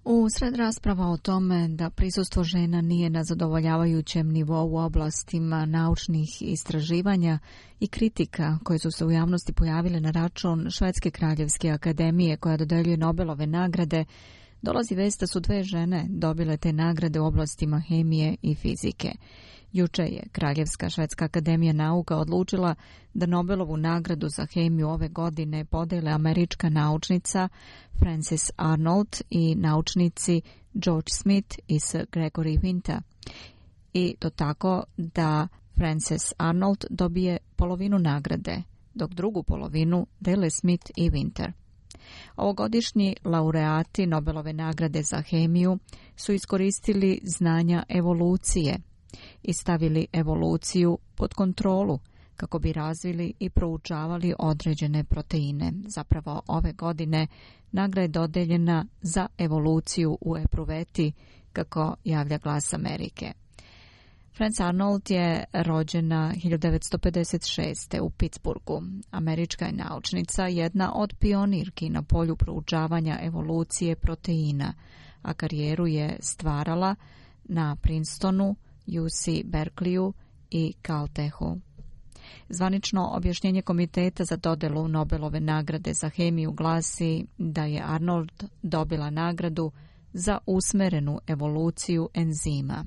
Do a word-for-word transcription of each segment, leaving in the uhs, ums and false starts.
U sred rasprava o tome da prisustvo žena nije na zadovoljavajućem nivou u oblastima naučnih istraživanja i kritika koje su se u javnosti pojavile na račun Švedske kraljevske akademije koja dodeljuje Nobelove nagrade, dolazi vest da su dve žene dobile te nagrade u oblastima hemije i fizike. Juče je Kraljevska švedska akademija nauka odlučila da Nobelovu nagradu za hemiju ove godine podele američka naučnica Frances Arnold i naučnici George Smith i Sir Gregory Winter. I to tako da Frances Arnold dobije polovinu nagrade, dok drugu polovinu dele Smith i Winter. Ovogodišnji laureati Nobelove nagrade za hemiju su iskoristili znanja evolucije i stavili evoluciju pod kontrolu kako bi razvili i proučavali određene proteine. Zapravo ove godine nagrada je dodeljena za evoluciju u epruveti, kako javlja Glas Amerike. Frances Arnold je rođena hiljadu devetsto pedeset šeste. u Pittsburghu. Američka je naučnica, jedna od pionirki na polju proučavanja evolucije proteina, a karijeru je stvarala na Princetonu, U C Berkeleyu i Caltechu. Zvanično objašnjenje Komiteta za dodelu Nobelove nagrade za hemiju glasi da je Arnold dobila nagradu za usmerenu evoluciju enzima.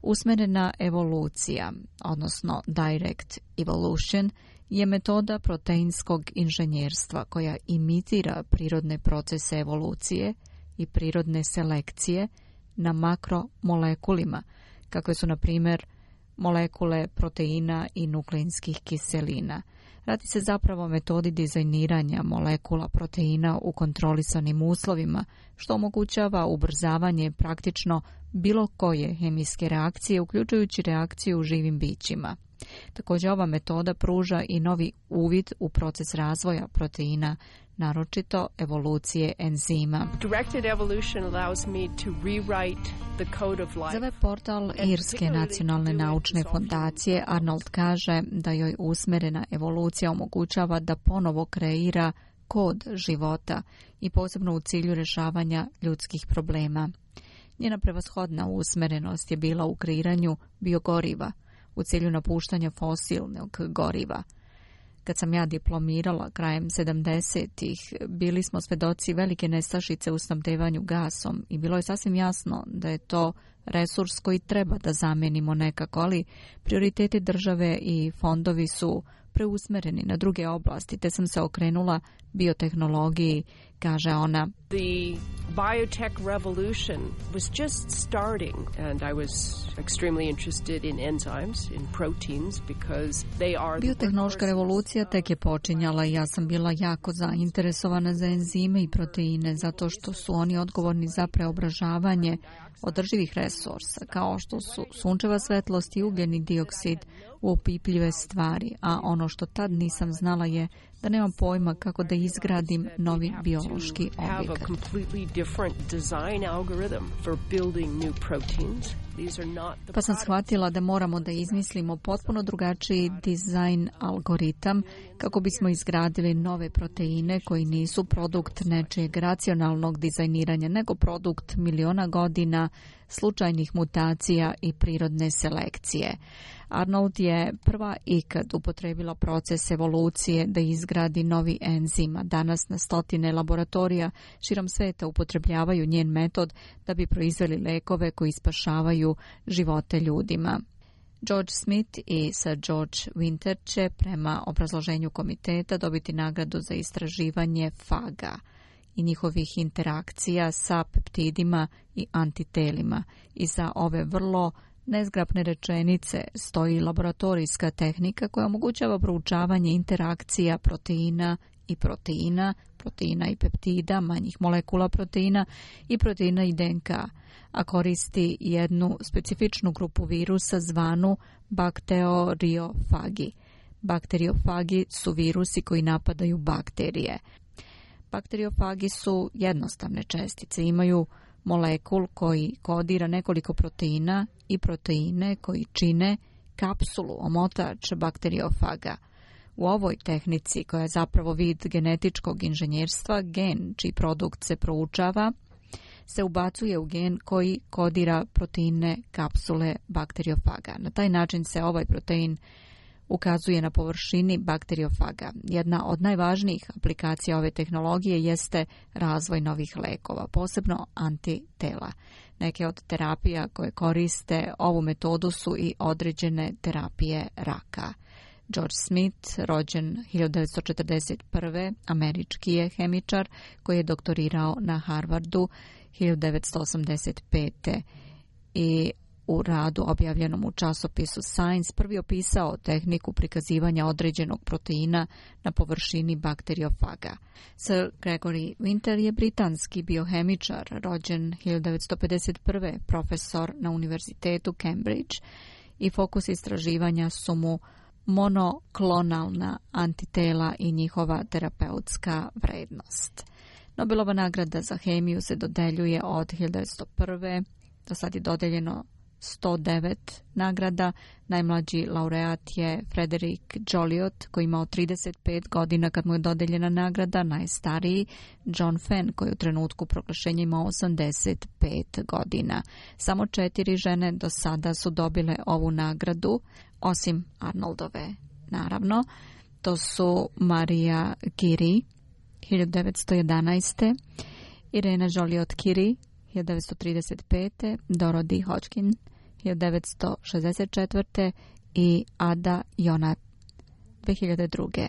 Usmerena evolucija, odnosno direct evolution, je metoda proteinskog inženjerstva koja imitira prirodne procese evolucije i prirodne selekcije na makromolekulima, kakve su, na primjer, molekule proteina i nukleinskih kiselina. Radi se zapravo o metodi dizajniranja molekula proteina u kontrolisanim uslovima, što omogućava ubrzavanje praktično bilo koje hemijske reakcije, uključujući reakciju u živim bićima. Također ova metoda pruža i novi uvid u proces razvoja proteina, naročito evolucije enzima. Za web portal Irske nacionalne naučne fondacije Arnold kaže da joj usmerena evolucija omogućava da ponovo kreira kod života i posebno u cilju rješavanja ljudskih problema. Njena prevashodna usmerenost je bila u kreiranju biogoriva u cilju napuštanja fosilnog goriva. Kad sam ja diplomirala krajem sedamdesetih, bili smo svedoci velike nestašice u snabdevanju gasom i bilo je sasvim jasno da je to resurs koji treba da zamenimo nekako, ali prioriteti države i fondovi su preusmereni na druge oblasti, te sam se okrenula biotehnologiji, kaže ona. The biotech revolution was just starting and I was extremely interested in enzymes, in proteins, because they are... Biotehnološka revolucija tek je počinjala i ja sam bila jako zainteresovana za enzime i proteine, zato što su oni odgovorni za preobražavanje održivih resursa, kao što su sunčeva svetlost i ugljeni dioksid u opipljive stvari, a ono što tad nisam znala je da nemam pojma kako da izgradim novi biološki objekat. Pa sam shvatila da moramo da izmislimo potpuno drugačiji dizajn algoritam kako bismo izgradili nove proteine koji nisu produkt nečijeg racionalnog dizajniranja, nego produkt miliona godina slučajnih mutacija i prirodne selekcije. Arnold je prva ikad upotrebila proces evolucije da izgradi novi enzim. Danas na stotine laboratorija širom sveta upotrebljavaju njen metod da bi proizveli lekove koji spašavaju živote ljudima. George Smith i Sir George Winter će prema obrazloženju komiteta dobiti nagradu za istraživanje faga i njihovih interakcija sa peptidima i antitelima. I za ove vrlo nezgrapne rečenice stoji laboratorijska tehnika koja omogućava proučavanje interakcija proteina i proteina, proteina i peptida, manjih molekula proteina i proteina i D N K, a koristi jednu specifičnu grupu virusa zvanu bakteriofagi. Bakteriofagi su virusi koji napadaju bakterije. Bakteriofagi su jednostavne čestice, imaju molekul koji kodira nekoliko proteina i proteine koji čine kapsulu, omotač bakteriofaga. U ovoj tehnici, koja je zapravo vid genetičkog inženjerstva, gen čiji produkt se proučava, se ubacuje u gen koji kodira proteine kapsule bakteriofaga. Na taj način se ovaj protein ukazuje na površini bakteriofaga. Jedna od najvažnijih aplikacija ove tehnologije jeste razvoj novih lekova, posebno antitela. Neke od terapija koje koriste ovu metodu su i određene terapije raka. George Smith, rođen hiljadu devetsto četrdeset prve, američki je hemičar koji je doktorirao na Harvardu hiljadu devetsto osamdeset pete i u radu objavljenom u časopisu Science prvi opisao tehniku prikazivanja određenog proteina na površini bakteriofaga. Sir Gregory Winter je britanski biohemičar, rođen hiljadu devetsto pedeset prve, profesor na Univerzitetu Cambridge i fokus istraživanja su mu monoklonalna antitela i njihova terapeutska vrednost. Nobelova nagrada za hemiju se dodeljuje od hiljadu devetsto prve. Do sad je dodeljeno sto devet nagrada. Najmlađi laureat je Frederick Joliot koji je imao trideset pet godina kad mu je dodeljena nagrada, najstariji John Fenn koji je u trenutku proglašenja imao osamdeset pet godina. Samo četiri žene do sada su dobile ovu nagradu, osim Arnoldove, naravno. To su Maria Curie hiljadu devetsto jedanaeste, Irena Joliot-Curie hiljadu devetsto trideset pete, Dorothy Hodgkin hiljadu devetsto šezdeset četvrte i Ada Jonah dve hiljade druge.